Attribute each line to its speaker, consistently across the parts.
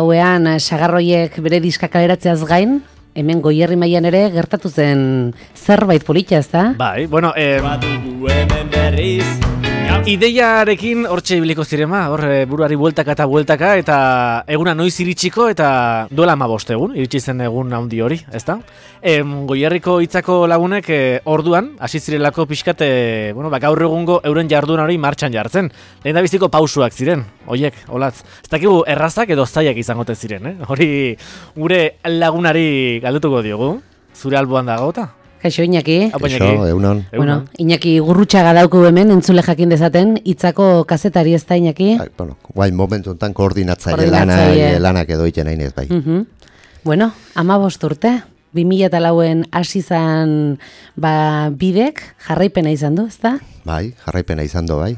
Speaker 1: Hauean, sagarroiek bere diska kaleratzeaz gain, hemen Goierri mailan ere gertatu zen zerbait politia, ezta?
Speaker 2: Bai, bueno, ideiarekin hortxe ibiliko zirema, hor buruari bueltaka eta eguna noiz iritsiko eta duela 15 egun, iritsi zen egun handi hori, ezta? Goierriko hitzako lagunek orduan, hasi zirelako pixkat, gaur egungo euren jarduna hori martxan jartzen. Lehen da biziko pausuak ziren, hoiek, olatz. Ez dakigu errazak edo zaiak izangote ziren, hori gure lagunari galdutuko diogu, zure alboan dagota.
Speaker 1: Kaixo, Iñaki.
Speaker 3: Kaixo, egunon.
Speaker 1: Bueno, Iñaki Gurrutxaga dauku hemen, entzule jakin dezaten, hitzako kazetari ez da, Iñaki?
Speaker 3: Guain momentu enten koordinatzaile lanak edo iten hain ez bai.
Speaker 1: Bueno, 15 urte, 2004en hasi zan bidek jarraipena izan du, ez da?
Speaker 3: Bai, jarraipena izan du, bai.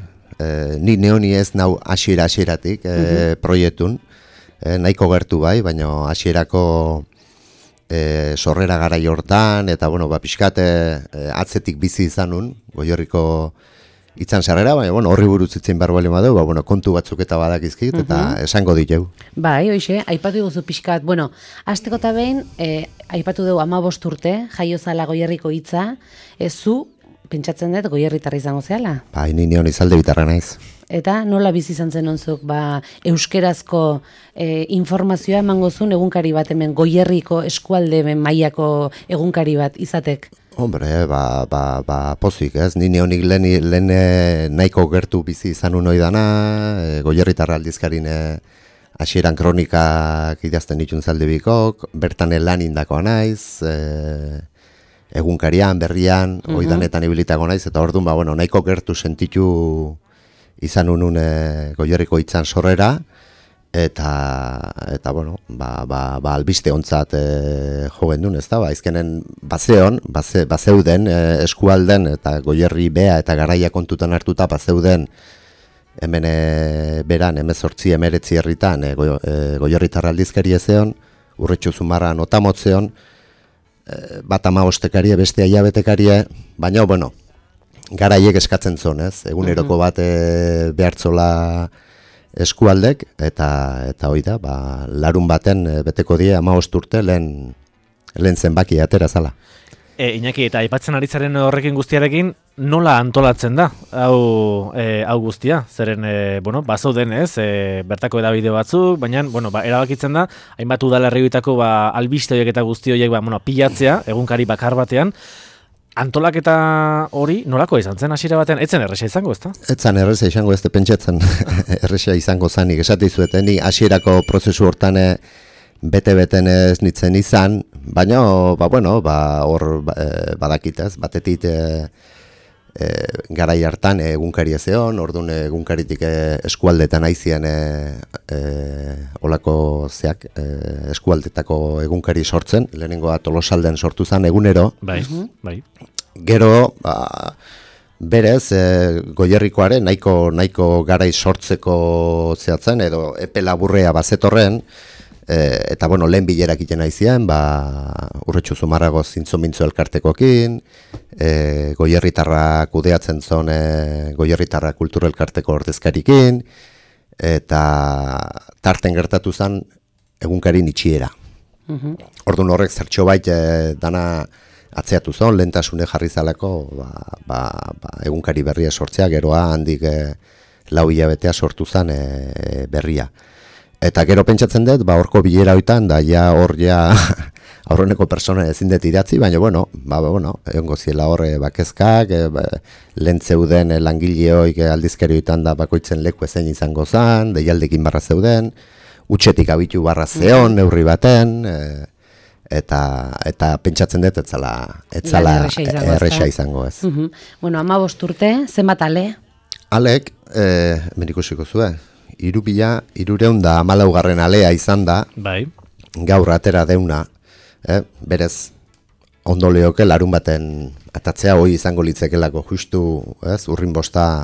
Speaker 3: Ni neoni ez nau hasieratik proiektun, nahiko gertu bai, baina hasierako sorrera gara jortan, eta pixkat atzetik bizi izanun, Goierriko itzan sarrera, baina horri buruz itzen behar bali madeu, kontu batzuk eta badakizkit, eta esango diteu.
Speaker 1: Bai, hoxe, aipatu dugu pixkat, hasteko eta behin, aipatu dugu 15 urte, jaiozala Goierriko hitza, zu, pentsatzen dut, Goierritarra izango zehala?
Speaker 3: Bai, ni neon izalde bitarra naiz.
Speaker 1: Eta nola bizi izan zen onzuk, euskerazko informazioa emango zuen egunkari bat hemen Goierriko eskualde mailako egunkari bat izatek?
Speaker 3: Hombre, pozik ez, ni neonik lehen nahiko gertu bizi izan unoi dana, Goierritarra aldizkarin hasieran kronikak idazten ditun zaldebikok, bertan lan indakoa naiz, egunkarian, berrian, oidanetan ibilitako naiz, eta orduan, nahiko gertu sentitu izan unun Goierriko hitzan sorrera, eta albiste ontzat jo gendun, ez da, izkenen bazeuden eskualden, eta Goierri bea eta garaia kontutan hartuta bazeuden, hemen beran, 18-19 herritan, Goierritarra aldizkari ezeon, Urretxu Zumarra notamotzeon, bat 15 beste hilabetekarie, baina, garaiek eskatzen zon, ez? Eguneroko bat behartzola eskualdek, eta hoi da, larun baten beteko die 15 urte lehen zenbaki atera zala.
Speaker 2: Iñaki, eta aipatzen aritzaren horrekin guztiarekin, nola antolatzen da, hau guztia? Zeren, bazauden ez, bertako edabide batzuk, baina, erabakitzen da, hainbat udalerrioetako albiste horiek eta guzti horiek pilatzea, egunkari bakar batean, antolaketa hori nolako izan zen hasiera batean? Etzen erresa izango, ezta?
Speaker 3: Etzen erresa izango, ez pentsatzen erresa izango zanik, esateizueten, ni hasierako prozesu hortan bete-beten ez nitzen izan, baina, hor badakitaz, batetit garai hartan egunkari ezeon, orduan egunkaritik eskualdetan aizien olako zeak eskualdetako egunkari sortzen, lehenengoa Tolosalden sortu zen egunero.
Speaker 2: Bai.
Speaker 3: Gero, berez, Goierrikoaren nahiko garai sortzeko zehatzen, edo epe laburrea bazetorren, eta lehen bilerak iten aizien, Urretxu Zumarrago zintzo-mintzo elkartekokin, Goierritarra kudeatzen zon Goierritarra kultura elkarteko ordezkarikin, eta tarten gertatu zen egunkarin itxiera. Orduan horrek zertxo bait dana atzeatu zon, lehentasune jarri zalako egunkari berria sortzea, geroa handik 4 hilabetea sortu zen berria. Eta gero pentsatzen dut, horko bilera hoitan, da aurreneko persona ezin dut idatzi, baina, egongo ziela horre bakezkak, lehen zeuden langileoik aldizkari hoitan da bakoitzen leku ezein izango zen, deialdekin barra zeuden, utxetik abitu barra zeon, neurri baten, eta pentsatzen dut, etzala erresa izango ez.
Speaker 1: 15 urte, zenbat ale?
Speaker 3: Alek, menikusiko zuen. 3,314 alea izan da,
Speaker 2: bai.
Speaker 3: Gaur atera deuna, berez ondo leoke larun baten atatzea hoi izango litzekelako justu, urrin bosta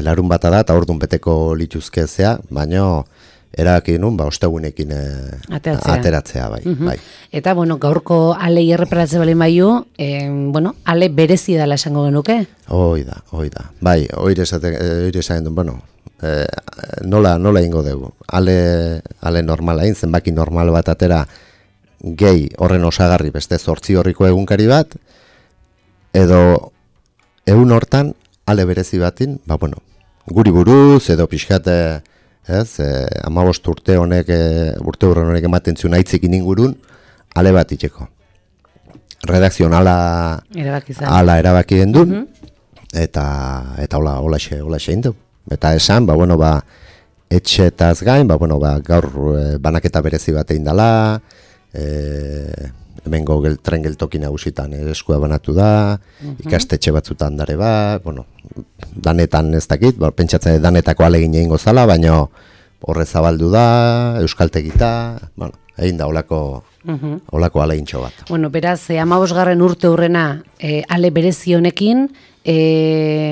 Speaker 3: larun bata da, eta orduan beteko lituzkezea, baina erabaki nun, ostegunekin ateratzea, bai.
Speaker 1: Eta, gaurko ale erreparatze bali maiu, ale berezi dela esango genuke?
Speaker 3: Hoi da. Bai, hori esaten duen, nola ingo dugu. Ale normala egin, zenbaki normal bat atera gehi horren osagarri beste 8 horriko egunkari bat, edo egun hortan ale berezi batin, guri buruz edo pixkat, 15 urte honek ematen zuen aitzekin ingurun, ale bat itxeko. Redakzion ala erabaki den du, eta hola xe du. Eta esan, etxetaz gain, gaur banaketa berezi bat egin dela, hemengo tren geltoki nagusitan eskua banatu da, ikastetxe batzutan dare bat, danetan ez dakit, pentsatzen danetako alegin egingo zala, baina horre zabaldu da, euskaltegita, egin da holako alegintxo bat.
Speaker 1: Beraz, 15. urte hurrena ale berezi honekin,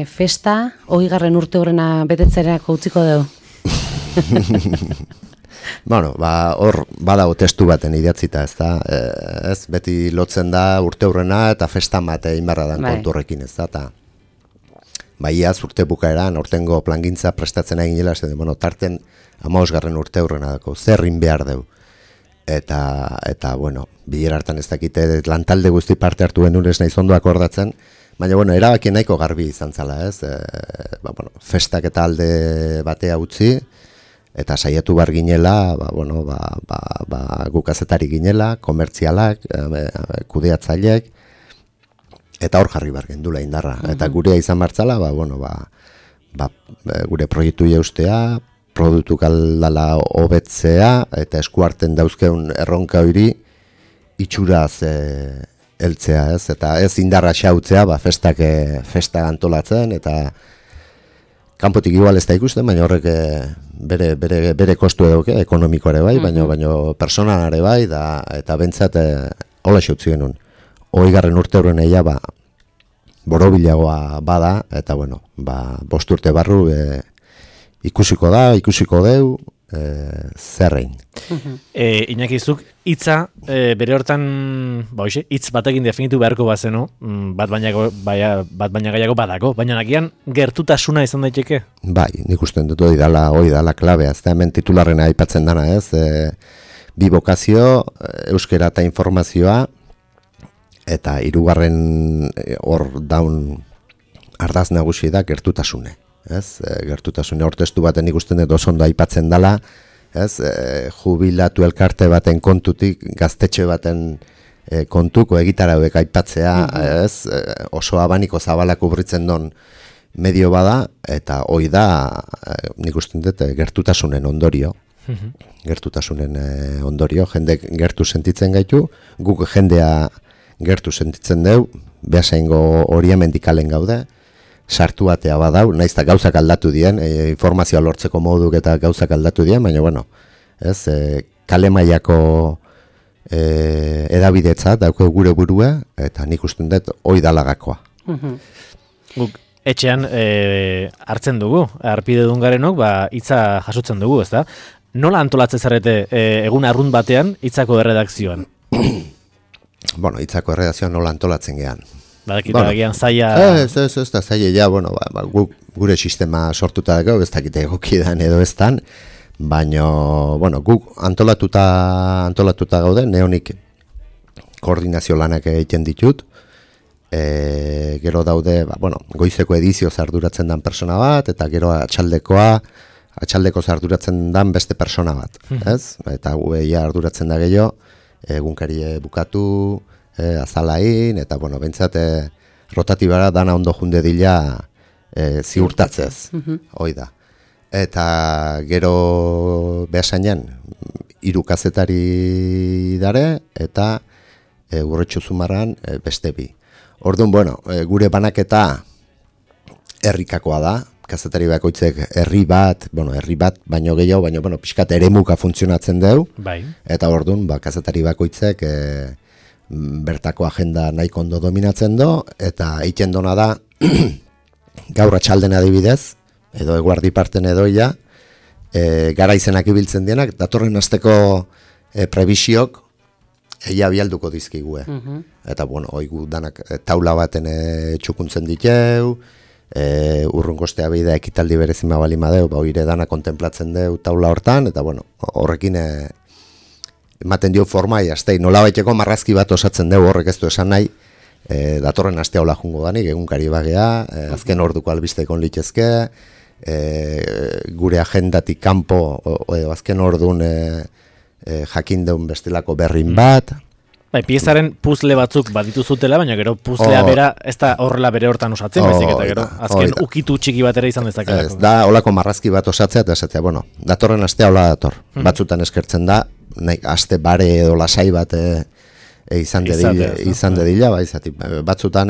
Speaker 1: festa, 20. urte hurrena betetzerako utziko dugu?
Speaker 3: Hor badago testu baten idatzita, ez da, ez beti lotzen da urte hurrena eta festa mate inbarra dan konturrekin, ez da, eta iaz urte bukaeran, ortengo plangintza prestatzen egin jela, tarten 15. urte hurrena dako, zerrin behar dugu. Eta bilera hartan ez dakite, lantalde guzti parte hartu genuen ez nahi zondo akordatzen, baina, erabaki nahiko garbi izan zala, ez? Festak eta alde batea utzi, eta saiatu bar ginela, gu kazetari ginela, komertzialak, kudeatzaileek, eta hor jarri bar gendula indarra. Eta gurea izan bartzala, gure proiektu jaustea, produktu kaldala hobetzea, eta eskuarten dauzkeun erronka hori itxuraz heltzea, ez? Eta ez indarra xautzea, festa antolatzen, eta kanpotik igual ez da ikusten, baina horrek bere kostu eduke, ekonomiko ere bai, baina personalare bai, eta bentsat hola xautzi genuen. 20. urte horren eia, borobilagoa bada, eta 5 urte barru ikusiko deu, zerrein.
Speaker 2: Inakizuk, hitza bere hortan, hitz batekin definitu beharko bazenu, bat baina gaiago badako, baina nakian gertutasuna izan daiteke?
Speaker 3: Bai, nik usten dut hori dala klabea, ez da hemen titularrena aipatzen dana, ez? Bi bokazio, euskera eta informazioa, eta 3. hor daun ardaz nagusi da gertutasune. Gertutasune hortestu baten ikusten dut oso ondo aipatzen dela, jubilatu elkarte baten kontutik gaztetxe baten kontuko egitarauek aipatzea, oso abaniko zabalak ubritzen don medio bada, eta hoi da nik usten dut gertutasunen ondorio. Gertutasunen ondorio, jende gertu sentitzen gaitu, guk jendea gertu sentitzen deu, behasaingo hori mendikalen gaude, sartu batea badau, naiz eta gauzak aldatu dien, informazioa lortzeko moduk eta gauzak aldatu dien, baina, kale mailako edabidetzat dauko gure burua, eta nik usten dut hoi dalagakoa.
Speaker 2: Guk etxean hartzen dugu, arpide dungarenok, hitza jasotzen dugu, ez da? Nola antolatzen zarete egun arrunt batean hitzako erredakzioan?
Speaker 3: Hitzako erredakzioan nola antolatzen gehan.
Speaker 2: Badakita agian zaila...
Speaker 3: Ez da zaila, gure sistema sortuta dago, ez dakite egokidan edo ez dan, baina, guk antolatuta gaude, neonik koordinazio lanak egiten ditut, gero daude, goizeko edizio arduratzen dan persona bat, eta gero atxaldeko arduratzen dan beste persona bat, ez? Eta gueia arduratzen da gehiago, egunkarie bukatu, azalain, eta, bentsat, rotatibara dana ondo junde dila ziurtatzez, hoi da. Eta gero behasainan, 3 kazetari dare, eta Urretxu Zumarran beste 2. Orduan, gure banaketa herrikakoa da, kazetari bakoitzek herri bat baino gehiago, baina pixkat eremuka funtzionatzen deu, eta orduan, kazetari bakoitzek bertako agenda nahiko ondo dominatzen do, eta egiten dona da, gaur atxalden adibidez, edo eguardi parten edoia, gara izenak ibiltzen dienak, datorren asteko prebisiok eia bialduko dizkigue. Eta, oigu danak taula baten txukuntzen diteu, urrungostea behi da ekitaldi berezima bali madeu, oire dana kontemplatzen deu taula hortan, eta bueno, horrekin ematen dio forma, jaztei, nola baiteko marrazki bat osatzen deu horrek ez du esan nahi, datorren astea hola jungo danik, egunkari bagea, azken orduko albistekon litezke, gure agendatik kanpo, azken ordun jakindeun bestelako berrin bat.
Speaker 2: Bai, piezaren puzle batzuk baditu zutela, baina gero puzlea bera ez da horrela bere hortan osatzen, baizik eta gero azken ukitu txiki bat ere izan dezakelako.
Speaker 3: Ez da holako marrazki bat osatzea eta esatzea, bueno, datorren astea hola dator. Batzutan eskertzen da, aste bare edo lasai bat izan dedila, bai, zati, batzutan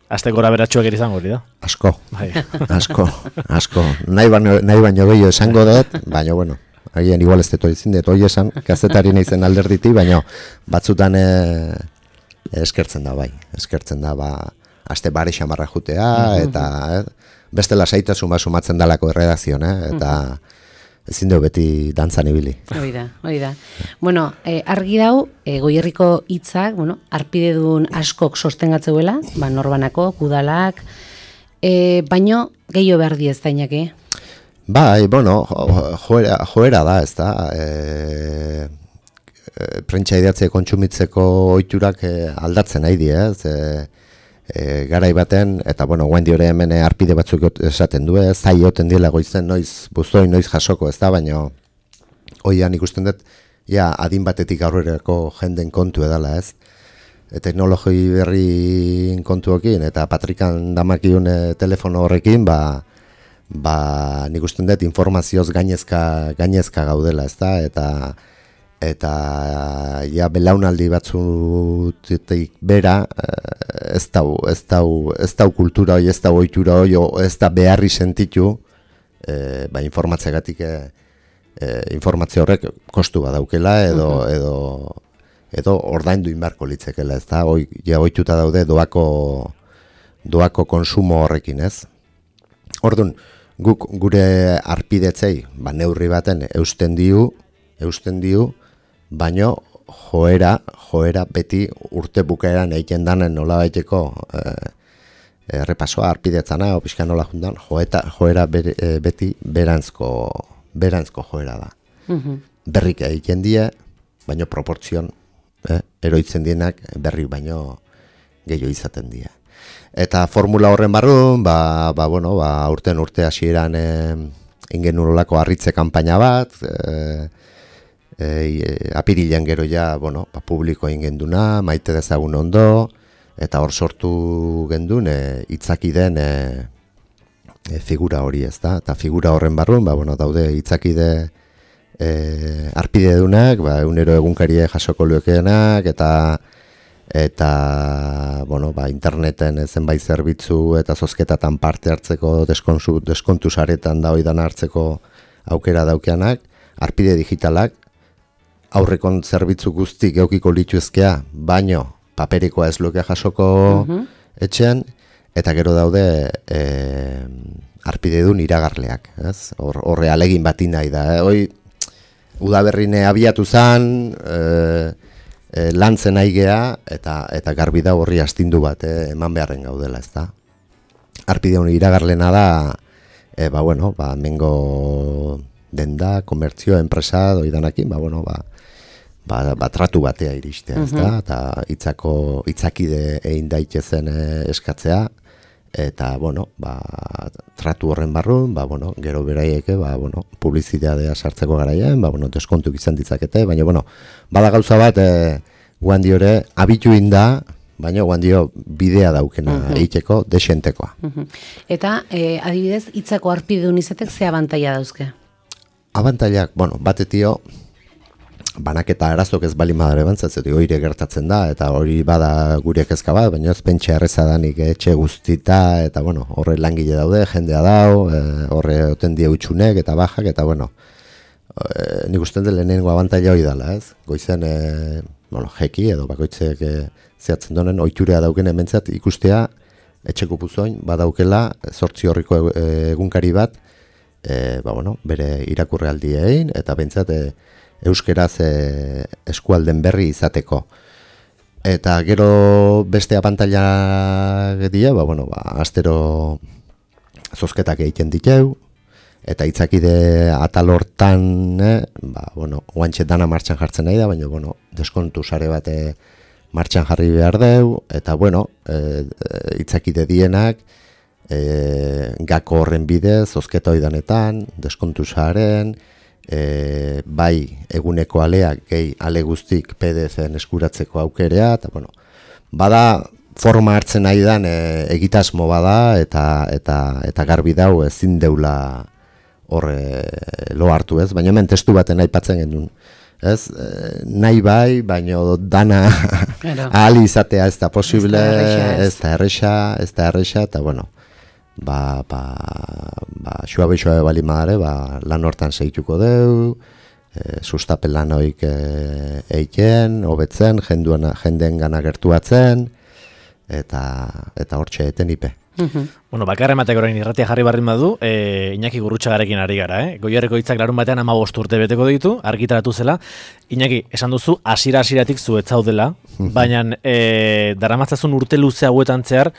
Speaker 2: aste gora beratxuak ere izango hori da.
Speaker 3: Asko, nahi baino gehiago esango dut, baina bueno, agian igual ez dut izin dut, hoi esan, kazetari nahizen alderditi, baina batzutan eskertzen da, bai, aste bare xamarra jutea, eta beste lasaitasun bat sumatzen dalako erredazion, eta ezin dugu beti dantzan ibili.
Speaker 1: Hoi da. Bueno, argi dau, Goierriko hitzak, bueno, arpidedun askok sostengatzeuela, norbanako, kudalak, baino gehiago behar diez dainak,
Speaker 3: Bai, bueno, joera da, ez da, prentsa idatze kontsumitzeko ohiturak aldatzen nahi di, ez, garai baten, eta bueno, guendi hori hemen arpide batzuk esaten du, zai oten diela goizen noiz buztoi, noiz jasoko, ez da, baina hoian ikusten dut, ja, adin batetik aurrerako jenden kontu edala, ez, teknologi berri kontuokin, eta patrikan damakiun telefono horrekin, nik usten dut informazioz gainezka gaudela, ezta, eta ja belaunaldi batzutik bera ez dau kultura hori, ez dau ohitura hori, ez da beharri sentitu informatzeagatik informazio horrek kostu badaukela edo ordaindu inbarko litzekela, ezta, ja ohituta daude doako konsumo horrekin, ez? Orduan, guk gure arpidetzei, neurri baten eusten diu, baino joera beti urte bukaeran egiten danen nola baiteko errepasoa arpidetzana, pixka nola juntan, joera beti berantzko joera da. Berrik egiten die, baino proportzion, eroitzen dienak berri baino gehiago izaten die. Eta formula horren barrun, urte hasieran ingen nolako harritze kanpaina bat, apirilean gero ja, publiko ingen duna, maite dezagun ondo, eta hor sortu gendun itzaki den figura hori, ez da, eta figura horren barrun, daude itzakide arpide dunak, egunero egunkarie jasoko luekeenak, eta interneten zenbait zerbitzu eta zozketatan parte hartzeko deskontu saretan da oidan hartzeko aukera daukeanak, arpide digitalak, aurrekon zerbitzu guztik eukiko lituzkea, baino paperikoa ez luke jasoko etxean, eta gero daude arpidedun iragarleak, ez? Horre alegin bati nahi da, udaberrine abiatu zan, lantzen aigea eta garbi da horri astindu bat eman beharren gaudela, ezta. Arpideun iragarlena da mengo denda, komertzio, enpresa doidanakin, tratu batea iristea, ezta, eta itzakide egin daitezen eskatzea, eta tratu horren barrun, gero beraieke, publizitatea sartzeko garaien, deskontuk izan ditzakete, baina bada gauza bat guandiore abitu inda, baina guandio bidea daukena egiteko desentekoa.
Speaker 1: Eta adibidez hitzako arpidun izatek ze abantaila dauzke?
Speaker 3: Abantailak, batetio banaketa arazok ez bali madare bantzatzen, hori gertatzen da, eta hori bada gure kezka bat, baina ez pentsa erreza danik etxe guztita, eta horre langile daude, jendea dau, horre oten die utxunek eta bajak, eta nik usten dut lehenengo abantaila hori dela, ez? Goizen, jeki edo bakoitzek zehatzen donen, oiturea dauken hementzat ikustea, etxeko puzoin, badaukela, 8 horriko egunkari bat, bere irakurrealdi egin, eta bentsat, euskeraz eskualden berri izateko. Eta gero beste abantaila dira, astero zozketak egiten diteu, eta itzakide atal hortan, oantxe dana martxan jartzen nahi da, baina, deskontu sare bat martxan jarri behar deu, eta, itzakide dienak, gako horren bidez, zozketa oidanetan, deskontu saren, bai eguneko aleak, gehi ale guztik PDF-en eskuratzeko aukerea, eta, bada forma hartzen nahi dan egitasmo bada, eta garbi dau ezin deula hor lo hartu ez, baina hemen testu baten aipatzen genuen. Ez, nahi bai, baina dana ahal izatea ez da posible, ez da erresa, eta xua bali madare, lan hortan segituko deu, sustapen lan hoik eiken, hobetzen, jendeen gana gertuatzen, eta hortxe eten ipe.
Speaker 2: Bakarra ematek orain irratia jarri barrin badu, Iñaki Gurrutxagarekin ari gara, Goierriko hitzak larun batean 15 urte beteko ditu, argitaratu zela. Iñaki, esan duzu, hasieratik zu ez zaudela, baina daramatzazun urte luze hauetan zehar,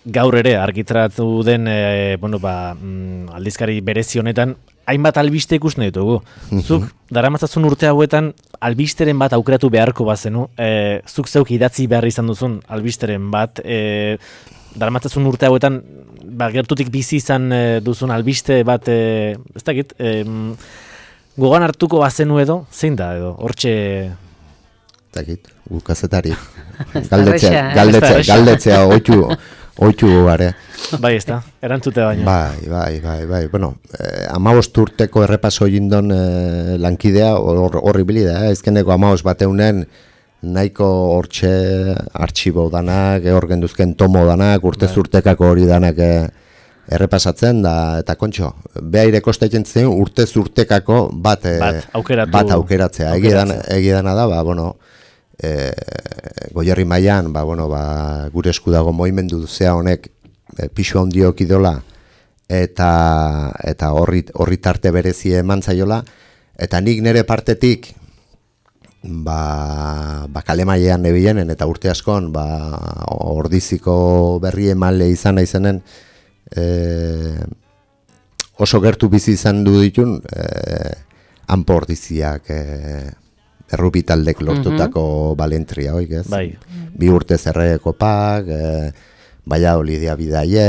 Speaker 2: gaur ere argitaratu den aldizkari berezi honetan, hainbat albiste ikusten ditugu. Zuk, daramatzazun urte hauetan, albisteren bat aukeratu beharko bazenu, zuk zeuk idatzi behar izan duzun albisteren bat, daramatzazun urte hauetan, gertutik bizi izan duzun albiste bat, ez dakit, gogan hartuko bazenu edo, zein da edo, hortxe...
Speaker 3: Ez dakit, gukazetari. Galdetzea, oitu gare.
Speaker 2: Bai, ez da, erantzute baina.
Speaker 3: Bai. 15 urteko errepaso jindon lankidea horri bilida, ezkeneko 15 bateunen nahiko hortxe artxibo danak, genduzken tomo danak, urtez-urtekako hori danak errepasatzen, eta kontxo, behaire kosta egiten urtez-urtekako bat aukeratzea. Egidana da, Goierri mailan, gure esku dago moimendu zea honek pixu handiok idola, eta horri tarte berezie eman zaiola, eta nik nire partetik, kale mailean nebienen eta urte askon ordiziko berri emale izan naizenen oso gertu bizi izan du ditun hanpo ordiziak errupitaldek lortutako balentria hoik ez? Bai. 2 urte zerre kopak, Valladolidia bidaie,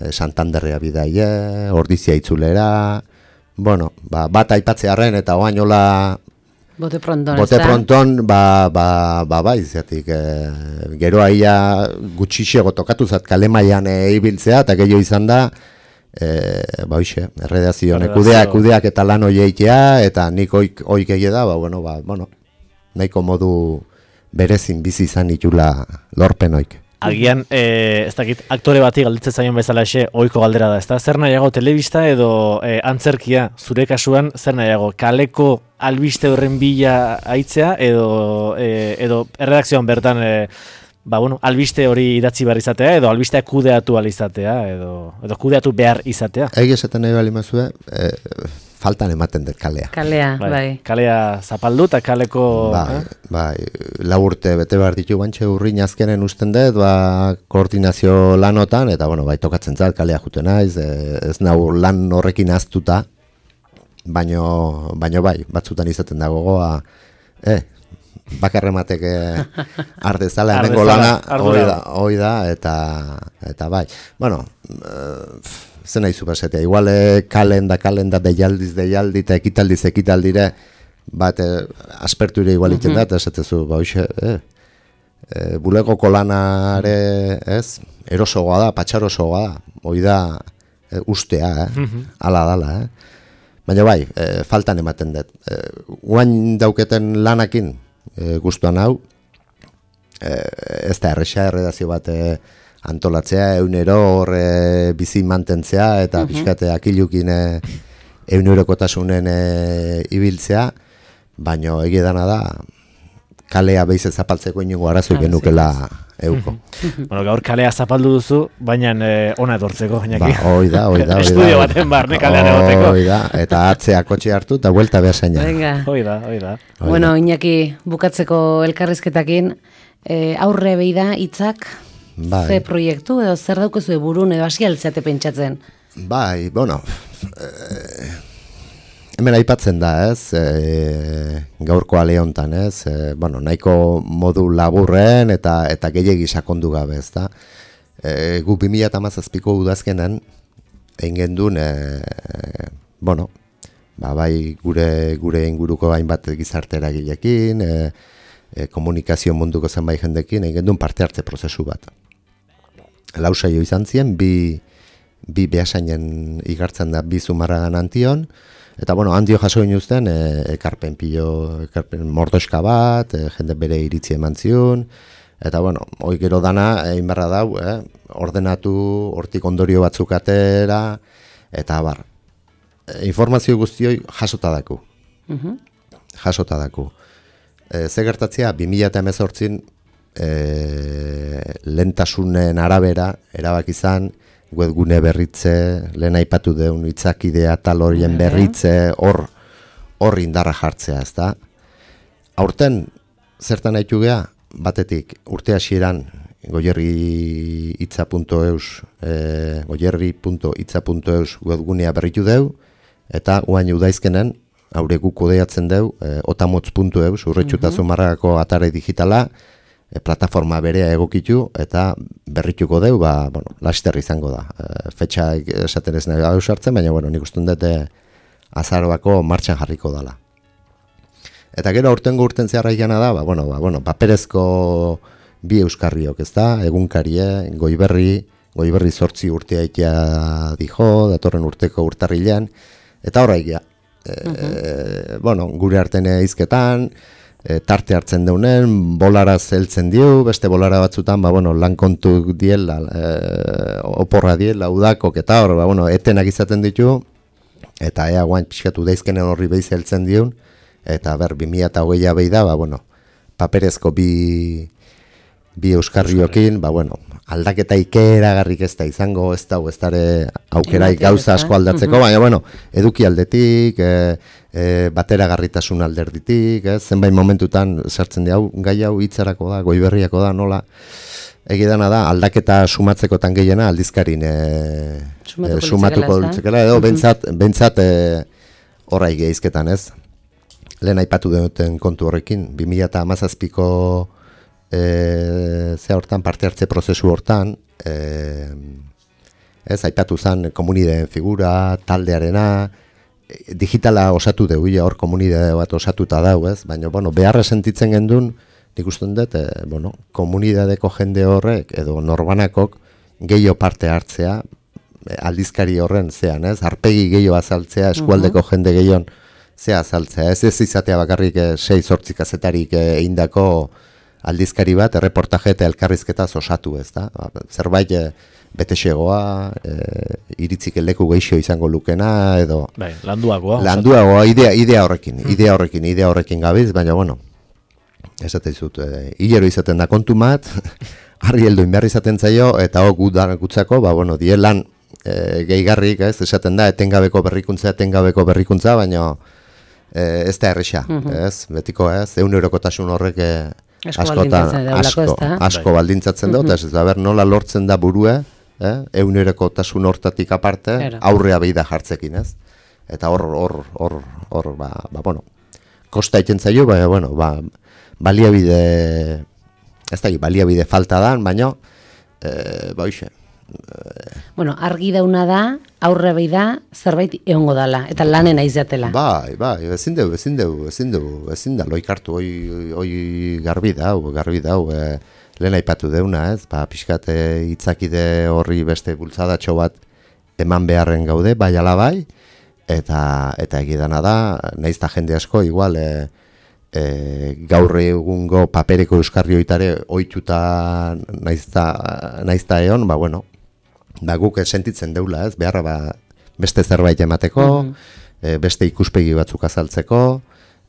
Speaker 3: Santanderrea bidaie, ordizia itzulera, bat aipatzearen eta oainola
Speaker 1: Bote pronton,
Speaker 3: izatik, gero aia gutxixego tokatu zat kale mailan ibiltzea, eta gehiago izan da, erredazio, kudeak eta lan hoieitea, eta nik oik egie da, nahiko modu berezin bizi izan itula lorpen oik.
Speaker 2: Agian, ez dakit, aktore bati galditzen zaion bezala ohiko galdera da, ezta? Zer nahiago telebista edo antzerkia, zure kasuan, zer nahiago kaleko albiste horren bila aitzea edo erredakzioan bertan albiste hori idatzi behar izatea edo albisteak kudeatu ahal izatea edo kudeatu behar izatea?
Speaker 3: Egi esaten nahi bali mazue, faltan ematen dut kalea.
Speaker 1: Bai.
Speaker 2: Kalea zapaldu eta kaleko...
Speaker 3: Bai, 4 urte bete behar ditu bantxe urrin azkenen usten dut, koordinazio lanotan, eta tokatzen zait kalea juten naiz, ez nau lan horrekin aztuta, baino bai, batzutan izaten dago goa, bakarrematek ardezala, hemengo lana, hoi da, eta bai. Zen nahi zupasetea, igual kalenda deialdi eta ekitaldire bat asperture igual iten da, eta esatezu, bulegoko lanare, ez, erosogoa da, patxarosogoa da, hoi da ustea, ala dala, baina bai, faltan ematen dut. Guain dauketen lanakin guztuan hau, ez da erredazio bat antolatzea, eunero horre bizi mantentzea, eta pixkate akilukin eunerokotasunen ibiltzea, baina egidana da, kalea behiz zapaltzeko inungo arazo genukela euko.
Speaker 2: Gaur kalea zapaldu duzu, baina ona etortzeko.
Speaker 3: Hoi da.
Speaker 2: Estudio baten barne kalean egoteko.
Speaker 3: Hoi da, eta atzea kotxe hartu, eta buelta behar zaina.
Speaker 2: Hoi da.
Speaker 1: Bueno, Iñaki, bukatzeko elkarrizketakin, aurre behi da hitzak, ze proiektu, edo zer daukezu burun, edo hasi altzeate pentsatzen?
Speaker 3: Bai, bueno, hemen aipatzen da, ez, gaurko ale hontan, ez, bueno, nahiko modu laburren eta gehiegi sakondu gabe, ez da. Gu 2017ko udazkenan, egin gendun, bueno, bai gure inguruko hainbat gizarte eragileekin, komunikazio munduko zenbait jendekin, egin gendun parte hartze prozesu bat. Lau saio izan ziren, bi behasainen igartzen da, bi Zumarragan Antion, eta bueno, Antio jaso inuzten, ekarpen mordoska bat, jende bere iritzi eman zion, eta bueno, hoi gero dana, egin barra dau, ordenatu, hortik ondorio batzuk atera, eta bar, informazio guztioi jasota daku. Jasota daku. Ze gertatzea, 2018 lehentasunen arabera, erabak izan, webgune berritze, lehen aipatu deun itzakidea tal horien berritze, hor indarra jartzea, ez da? Aurten, zertan haitu geha, batetik urte hasieran goierri.itza.eus goierri.itza.eus webgunea berritu deu, eta guain udaizkenen, haure guk kodeatzen deu, otamotz.eus, urretxuta Zumarragako atare digitala, plataforma berea egokitu eta berrituko deu, bueno, laster izango da. Fetxa esaten ez nahi hau sartzen, baina bueno, nik uste dut azaroako martxan jarriko dala. Eta gero aurtengo urten zeharra ikana da, bueno, paperezko bi euskarriok, ez da, egunkarie, goiberri 8 urtea ikia dijo, datorren urteko urtarrilean, eta horra ikia. Bueno, gure arten hizketan, tarte hartzen deunen, bolaraz heltzen diu, beste bolara batzutan, bueno, lan kontu diela, oporra diela, udakok eta hor, bueno, etenak izaten ditu, eta ea guain pixkatu daizkenen horri behiz heltzen diun, eta 2020 behi da, bueno, paperezko bi euskarriokin, bueno, aldaketa ikeragarrik ez da izango, ez da aukeraik gauza asko aldatzeko, baina, bueno, eduki aldetik, bateragarritasun alderditik, zenbait momentutan sartzen di hau, gai hau hitzarako da, goiberriako da, nola, egidana da, aldaketa sumatzekotan gehiena aldizkarin sumatuko litzekela, edo bentsat horra egeizketan, ez? Lehen aipatu duten kontu horrekin, 2017ko ze hortan, parte hartze prozesu hortan, ez, aipatu zen komunideen figura, taldearena, digitala osatu deu, hor komunidade bat osatuta dau, ez? Baina, bueno, beharra sentitzen gendun, nik usten dut, bueno, komunidadeko jende horrek, edo norbanakok, gehiago parte hartzea, aldizkari horren zean, ez? Arpegi gehiago azaltzea, eskualdeko jende gehiago zea azaltzea, ez izatea bakarrik 6-8 kazetarik eindako aldizkari bat, erreportaje eta elkarrizketa osatu, ez da? Zerbait betexegoa, iritzik leku geixo izango lukena, edo...
Speaker 2: Bai, landuagoa.
Speaker 3: Landuagoa, idea horrekin gabiz, baina, bueno, esaten zut, hilero izaten da kontu mat, harri helduin behar izaten zaio, eta gutzako, bueno, dielan gehigarrik, ez, esaten da, etengabeko berrikuntza, baina ez da erresa, ez, betiko ez, €1 horrek asko baldintzatzen dut, ez da, nola lortzen da burue, €1 hortatik aparte, aurrea behi da jartzekin, ez? Eta hor, bueno, kosta iten zaio, baina, bueno, baliabide, ez da, baliabide falta da, baina, hoxe.
Speaker 1: Bueno, argi dauna da, aurre behi da, zerbait egongo dala, eta lanen aizatela.
Speaker 3: Bai, ezin da, loikartu, hoi garbi dau, lehen aipatu deuna, ez, pixkat hitzakide horri beste bultzadatxo bat eman beharren gaude, bai ala bai, eta egidana da, naizta jende asko, igual, gaur egungo papereko euskarri oitare oituta naizta egon, bueno, guk sentitzen deula, ez, beharra beste zerbait emateko, beste ikuspegi batzuk azaltzeko,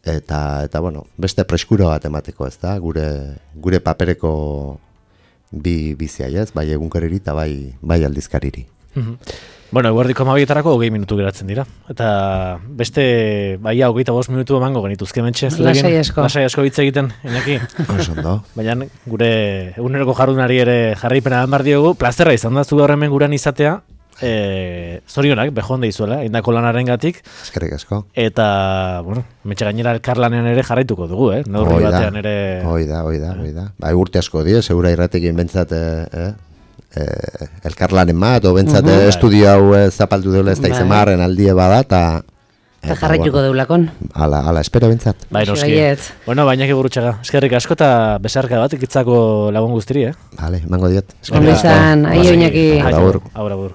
Speaker 3: eta bueno, beste preskura bat emateko, ez da, gure papereko bizia, ez, bai egunkariri eta bai aldizkariri.
Speaker 2: Bueno, eguerdiko 12etarako 20 minutu geratzen dira. Eta beste, 25 minutu emango genituzke mentxe. Lasai asko hitz egiten, Iñaki. Baina gure eguneroko jardunari ere jarraipena eman behar diogu. Plazerra izan da zu gaur hemen gurean izatea. zorionak, bejonde izuela, indako lanaren gatik.
Speaker 3: Eskerrik asko.
Speaker 2: Eta, bueno, metxe gainera elkarlanean ere jarraituko dugu, neurri batean ere...
Speaker 3: Hoi da. Bai, urte asko die, segura irratekin bentsat elkarlanen bat, o bentsat estudio hau zapaldu deula ez da izemarren aldie bada,
Speaker 1: eta jarraituko deulakon.
Speaker 3: Ala, espero bentsat.
Speaker 2: Bai, noski. Bueno, Iñaki Gurrutxaga, eskerrik asko eta besarka bat ikitzako lagun guztiri,
Speaker 3: Vale, mango diet.
Speaker 1: Ondo izan, aio Iñaki.
Speaker 2: Agur.